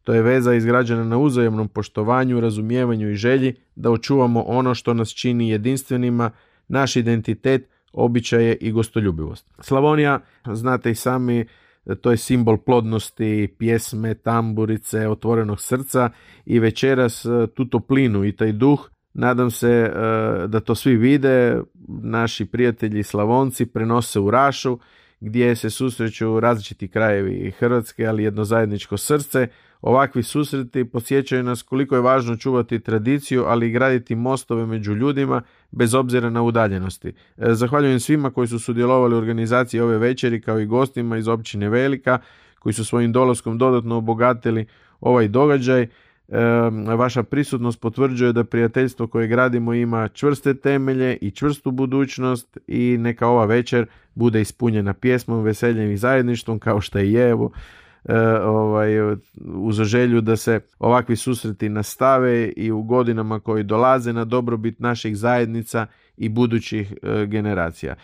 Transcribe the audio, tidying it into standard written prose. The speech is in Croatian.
To je veza izgrađena na uzajamnom poštovanju, razumijevanju i želji da očuvamo ono što nas čini jedinstvenima, naš identitet, običaje i gostoljubivost. Slavonija, znate i sami, to je simbol plodnosti, pjesme, tamburice, otvorenog srca i večeras tu toplinu i taj duh, nadam se da to svi vide, naši prijatelji Slavonci prenose u Rašu, gdje se susreću različiti krajevi Hrvatske, ali jedno zajedničko srce. Ovakvi susreti podsjećaju nas koliko je važno čuvati tradiciju, ali i graditi mostove među ljudima bez obzira na udaljenosti. Zahvaljujem svima koji su sudjelovali u organizaciji ove večeri, kao i gostima iz općine Velika, koji su svojim dolaskom dodatno obogatili ovaj događaj. Vaša prisutnost potvrđuje da prijateljstvo koje gradimo ima čvrste temelje i čvrstu budućnost i neka ova večer bude ispunjena pjesmom, veseljem i zajedništvom kao što i je, uz želju da se ovakvi susreti nastave i u godinama koji dolaze na dobrobit naših zajednica i budućih generacija.